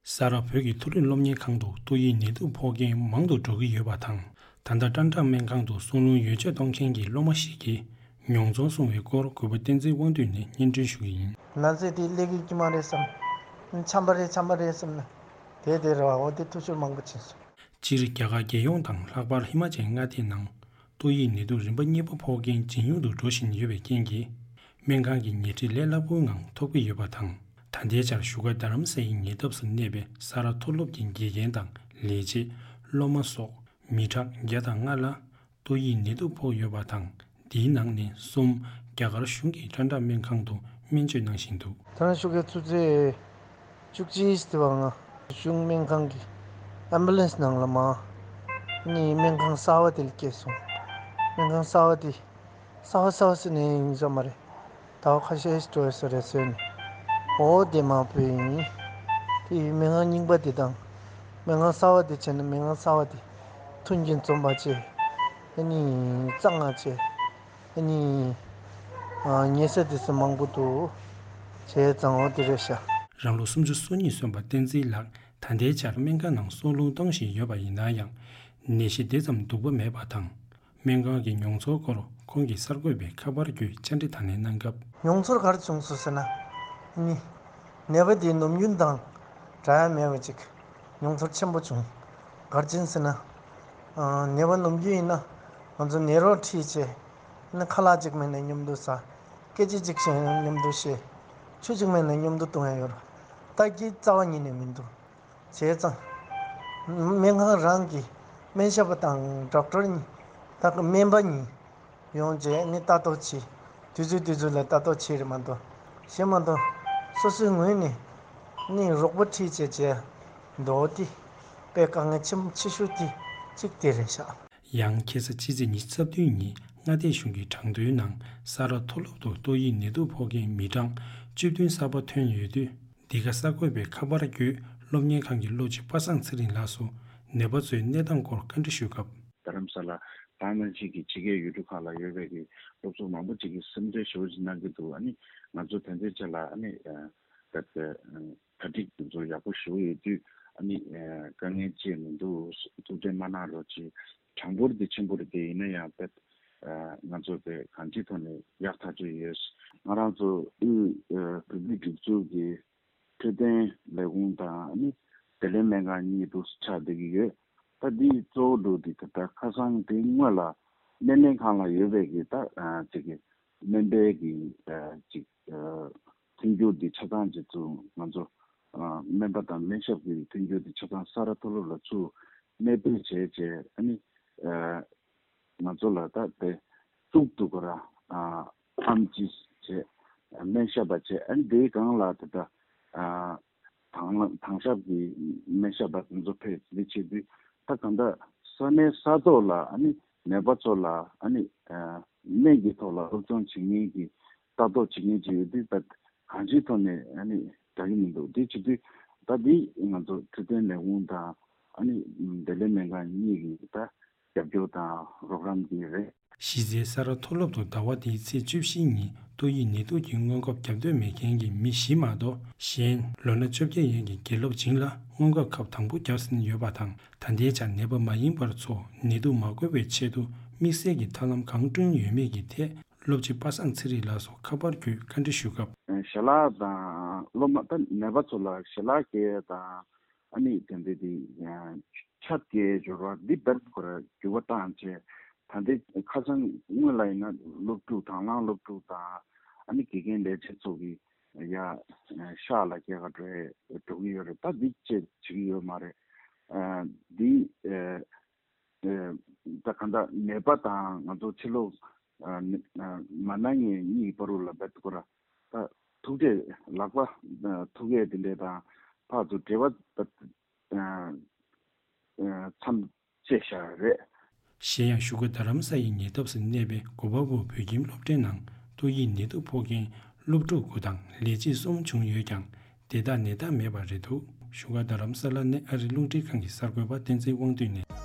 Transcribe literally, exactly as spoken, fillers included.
ས་རཱ་བོད་ཀྱི་མཐོ་རིམ་སློབ་གཉེར་ཁང་དུ་ཏོག་དབྱིབས་ནད་དུག་ཕོག་མཁན་མང་དུ་འགྲོ་གི་ཡོད་པ་དང་། ད་ལྟ་ཀྲན་ཀྲང་སྨན་ཁང་དུ་སྲུང་བརླིང་ཡོ་བཅོས་གཏོང་མཁན་གྱི་སློབ་མ་ཞིག་གིས་མྱོང་ཚོར་གསུངས་པའི་སྐོར་གུས་པ་བསྟན་འཛིན་དབང་འདུས་ནས་སྙན་སྒྲོན་ཞུ་གི་ཡིན། ན་ཚ་དེ་སླེབས་ཀྱི་མ་རེད་བསམ། ཆམ་པ་རེད་ཆམ་པ་རེད་བསམ་ན། དེ་དེ་རེད་བ། འོ་དེ་ཐུག་ཤོར་མང་པོ་ཕྱིན་སོང་། སྤྱིར་རྒྱ་གར་རྒྱལ་ཡོངས་དང་ལྷག་པར་ཧི་མ་ཅལ་མངའ་སྡེའི་ནང་ཏོག་དབྱིབས་ནད་དུག་རིམ་པ་གཉིས་པ་ཕོག་མཁན་ཇེ་ཉུང་དུ་འགྲོ་བཞིན་ཡོད་པའི་རྐྱེན་གྱིས། སྨན་ཁང་གི་ཉལ་ཁྲི་ལས་སླ་པོའི་ངང་ཐོབ་ཀྱི་ཡོད་པ་དང་། ད་ལྟའི་ཆར་བཞུགས་སྒར་རྡ་རམ་ས་ཡི་ཉེ་འདབས་སུ་གནས་པའི་ས་རཱ་མཐོ་སློབ་ཀྱི་དགེ་རྒན་དང་ལས་བྱེད། སློབ་མ་སོགས་མི་གྲངས་བརྒྱ་དང་ལྔ་ལ་ཏོག་དབྱིབས་ནད་དུག་ཕོག་ཡོད་པ་དང་། འདིའི་ནང་ནས་གསུམ་རྒྱ་གར་གཞུང་གི་ཀྲན་ཀྲང་སྨན་ཁང་དུ་སྨན་བཅོས་གནང་བཞིན་འདུག། ད་རང་བཞུགས་སྒར་ཆུ་ཚོད་བཅུ་གཅིག་དེ་བ་ང་གཞུང་སྨན་ཁང་གི་ཨམ་བུ་ལན་སི་ནང་ལ་མ་ནི་སྨན་ཁང་གསར་བ་དེ་ལ་སྐྱེལ་སོང་། སྨན་ཁང་གསར་བ་དེ་གསར་བ་གསར་བ་ཟེར་ནས་ཡིན་ས་མ་རེད། ཟླ་བ་ཁ་ཤས་ཤིག་འགྲོ་ཡོད་ས་རེད་ཟེར་ནས། འོ་དེ་མ་བུ་ཡིན། དེ་ཡི་སྨན་ཁང་རྙིང་པ་དེ་དང་། སྨན་ཁང་གསར་བ་དེ་བྱས་ན་སྨན་ཁང་གསར་བ་དེ་མཐུན་རྐྱེན་འཛོམས་པ་བྱས། ཨ་ནི་གཙང་མ་བྱས། ཨ་ནི། ཨ། ཉལ་ས་དེ་ཚོ་མང་པོ་འདུག། བྱས་ཙང་འོ་དེ་རེད་ཤག། རང་ལོ་སུམ་ཅུ་སོ་གཉིས་སོན་པ་བསྟན་འཛིན་ལགས་ད་ལྟའི་ཆར་སྨན་ཁང་ནང་སྲུང་བརླིང་གཏོང་བཞིན་ཡོད་པ་ཡིན་ན་ཡང་། ནད་གཞི་དེ་ཙམ་སྡུག་པ་མེད་པ་དང་། སྨན་ཁང་གི་མྱོང་ཚོར་སྐོར་ཁོང་གིས་གསར་འགོད་པའི་ཁ་པར་བརྒྱུད་བཅར་འདྲི་དང་ལེན་གནང་སྐབས། མྱོང་ཚོར་ག་རེ་བྱུང་སོང་ཟེར་ན། ནི། ནད་པ་དེའི་ནམ་རྒྱུན་དང་འདྲ་ཡ་མེད་པ་ཅིག་མྱོང་ཚོར་ཆེན་པོ་བྱུང་། ག་རེ་བྱས་ཟེར་ན། ཨ། ནད་པ་ནམ་རྒྱུན་ཡིན་ན་ང་ཚོ་ནད་རོགས་ཁྲིད་བྱས། ཨ་ནི་ཁ་ལག་ཅིག་མེད་ན་མཉམ་དུ་ཟ། སྐད་ཆ་ཅིག་བཤད་ན་མཉམ་དུ་བཤད། ཆུ་ཅིག་མེད་ན་མཉམ་དུ་འཐུང་ཡ་ཡོད་རེད། ད་ཀྱི་རྩ་བ་ཉིད་ནས་མི་འདུག། བྱས་ཙང་། སྨན་ཁང་རང་གི་སྨན་ཞབས་པ་དང་ཌོག་ཊར་གཉིས། ད་སྨན་པ་གཉིས་ཡོང་རྗེས་ནི་ལྟ་རྟོག་བྱེད། དུས་ཚོད་དུས་ཚོད་ལ་ལྟ་རྟོག་བྱེད་རེད་མ་གཏོགས། གཞན་མ་གཏོགས། སོ་སོའི་ངོས་ནས་ནི་རོགས་པ་ཁྲིད་བྱས་བྱས་འགྲོ་དེ་དཔེ་དཀའ་ངལ་ཆེན་ཆེ་ཤོས་དེ་གཅིག་དེ་རེད་ཤག། ཡང་ཁ་སང་ཕྱི་ཚེས་ཉི་ཤུ་རྩ་བདུན་ཉིན་མངའ་སྡེ་གཞུང་གི་གྲངས་ཐོའི་ནང་ས་རཱ་མཐོ་སློབ་ཏུ་ཏོག་དབྱིབས་ནད་དུག་ཕོག་མཁན་མི་གྲངས་བཅུ་བདུན་གསར་པ་ཐོན་ཡོད་དུས། འདི་ག་གསར་འགོད་པའི་ཁ་པར་བརྒྱུད་སློབ་གཉེར་ཁང་གི་སློབ་སྤྱི་པ་སངས་ཚེ་རིང་ལགས་སུ་ནད་པ་ཚོའི་གནས་སྟངས་སྐོར་བཀའ་འདྲི་ཞུས་སྐབས། རྡ་རམ་ས་ལ་དང་ནང་བཞིན་གྱི་ཕྱི་རྒྱལ་ཡུལ་གྲུ་ཁག་ལ་ཡོད་པའི་གི་སློབ་ཕྲུག་མང་པོ་ཅིག་གིས་སེམས་ཁྲལ་ཞེ་པོ་ཅིག་གནང་གི་འདུག། ཨ་ནི་ང་ཚོ་དེ་ཚོའི་ཆ་ལ་ཨ་ནི་ད་ལྟ་གྲ་སྒྲིག་དེ་ཚོ་ཡག་པོ་ཞེ་པོ་ཡོད་དུས། ཨ་ནི་དཀའ་ངལ་ཅི་མི་འདུག། ཐུགས་ཁྲལ་མ་གནང་རོགས་གྱིས། གྲངས་འབོར་དེ་ཆེན་པོ་རེད་དེ། ཡིན་ན་ཡང་དཔེ་ང་ཚོ་དེ་གང་ཅིའི་ཐོག་ནས་ཡག་ཐག་ཆོད་ཡོད། ང་རང་ཚོ་དབུས་བོད་མིའི་སྒྲིག་འཛུགས་ཀྱི་འཕྲོད་བསྟེན་ལས་ཁུངས་དང་ཨ་ནི་བདེ་ལེགས་སྨན་ཁང་གཉིས་འདུག་ཆགས་བསྡད་ཀྱི་ཡོད། ད་འདི་གཙོ་བོ་འདུག་འདི་ད་ལྟ་ཁ་སང་དེ་སྔོན་ལ་སྣེ་ལེན་ཁང་ལ་ཡོད་པའི་གི་ད་ཅིག་གི་སྨན་པའི་གི་ཅིག་ཐོན་རྒྱུ་འདི་ཆ་ཚང་ཅིག་ཚུར་ང་ཚོ་སྨན་པ་དང་སྨན་ཞབས་ཀྱི་ཐོན་རྒྱུ་འདི་ཆ་ཚང་ས་རཱ་མཐོ་སློབ་ལ་ཚུར་གནས་སྤོས་བྱས་བྱས། ཨ་ནི་ང་ཚོ་ལ་ད་དེ་གཙུག་ཏུ་ག་ར་ཨམ་ཆི་བྱས། སྨན་ཞབས་པ་བྱས། ཨ་ནི་དེའི་སྒང་ལ་ད་ལྟ་དྭང་དྭང་ཞབས་ཀྱི་སྨན་ཞབས་པ་དེ་ཚོ་ཕེབས། འདི་བྱེད་དུས་ད་གང་ལྟར་ས་གནས་ས་ཐོག་ལ་ཨ་ནི་ནད་པ་ཚོ་ལ་ཨ་ནི་སྨན་གྱི་ཐོག་ལ་སློབ་སྦྱོང་བྱེད་མཁན་གྱི་ལྟ་རྟོག་བྱེད་མཁན་ཅིག་ཡོད་དུས། ད་གང་ཅིའི་ཐོག་ནས་ཨ་ནི་དྲག་གི་མི་འདུག། འདི་བྱེད་དུས་ད་འདི་ང་ཚོ་འཕྲོད་བསྟེན་ལས་ཁུངས་དང་ཨ་ནི་བདེ་ལེགས་སྨན་ཁང་གཉིས་ཀྱི་ད་རྒྱབ་སྐྱོར་དང་རོགས་རམ་འདི་རེད། གཞི་རྩའི་ས་རཱ་མཐོ་སློབ་ཏུ་ཟླ་བ་འདིའི་ཚེས་བཅུ་བཞི་ཉིན་ཏོག་དབྱིབས་ནད་དུག་གི་སྔོན་འགོག་བརྒྱབ་འདོད་མེད་མཁན་གྱི་མི་བཞི་མ་གཏོགས། གཞན་ལོ་ན་བཅོ་བརྒྱད་ཡན་གྱི་དགེ་སློབ་བྱིངས་ལ་སྔོན་འགོག་ཁབ་དང་པོ་བརྒྱབ་ཟིན་ཡོད་པ་དང་། ད་ལྟའི་ཆར་ནད་པ་མ་ཡིན་པ་ཚོ་ནད་དུག་མ་འགོས་པའི་ཆེད་དུ་དམིགས་བསལ་གྱི་ཐབས་ལམ་གང་བསྐྲུན་ཡོད་མེད་ཀྱི་ཐད། སློབ་སྤྱི་པ་སངས་ཚེ་རིང་ལགས་སུ་ཁ་པར་བརྒྱུད་བཀའ་འདྲི་ཞུས་སྐབས། ཞལ་ལག་དང་སློབ་མ་ད་ནད་པ་ཚོ་ལ་ཞལ་ལག་སྐྱེལ་དང་། ཨ་ནི་དེ་འདྲ་དེ་ཆབ་ཀྱི་སྦྱོར་བ་འདི་བེད་ཁོ་ར་འགྱུར་བ་བཏང་བྱས། ད་ལྟའི་ཁ་སང་སྔོན་ལ་ཡིན་ན་སློབ་ཕྲུག་དང་བླངས་སློབ་ཕྲུག་དང་ཨ་ནི་དགེ་རྒན་ལས་བྱེད་ཚོ་གི་ཡ་ཤག་ལ་སྐྱེལ་ག་འགྲོ་འགྲོ་གི་ཡོད་རེད། ད་འདི་བཅས་བྱེད་ཀྱི་ཡོད་མ་རེད། འདི་ད་གང་ལྟར་ནད་པ་དང་ང་ཚོ་ཕྱི་ལོགས་མ་ན་མཁན་གཉིས་བར་ལ་བེད་ཁོ་ར་ད་ཐུག་འཕྲད་ལག་པ་ཐུག་ཡས་དེ་འདྲས་དང་ཕར་ཚུར་འབྲེལ་བ་མཚམས་བཅད་བཞག་རེད། གཞན་ཡང་བཞུགས་སྒར་རྡ་རམ་ས་ཡི་ཉེ་འདབས་སུ་གནས་པའི་གོ་པལ་པུར་བོད་ཁྱིམ་སློབ་གྲྭའི་ནང་ཏོག་དབྱིབས་ནད་དུག་ཕོག་མཁན་སློབ་ཕྲུག་དགུ་དང་ལས་བྱེད་གསུམ་བྱུང་ཡོད་ཀྱང་། དེ་དག་ནད་རྟགས་མེད་པ་རེད་འདུག། བཞུགས་སྒར་རྡ་རམ་ས་ལ་ནས་ཨ་རིའི་རླུང་འཕྲིན་ཁང་གི་གསར་འགོད་པ་བསྟན་འཛིན་དབང་འདུས་ནས།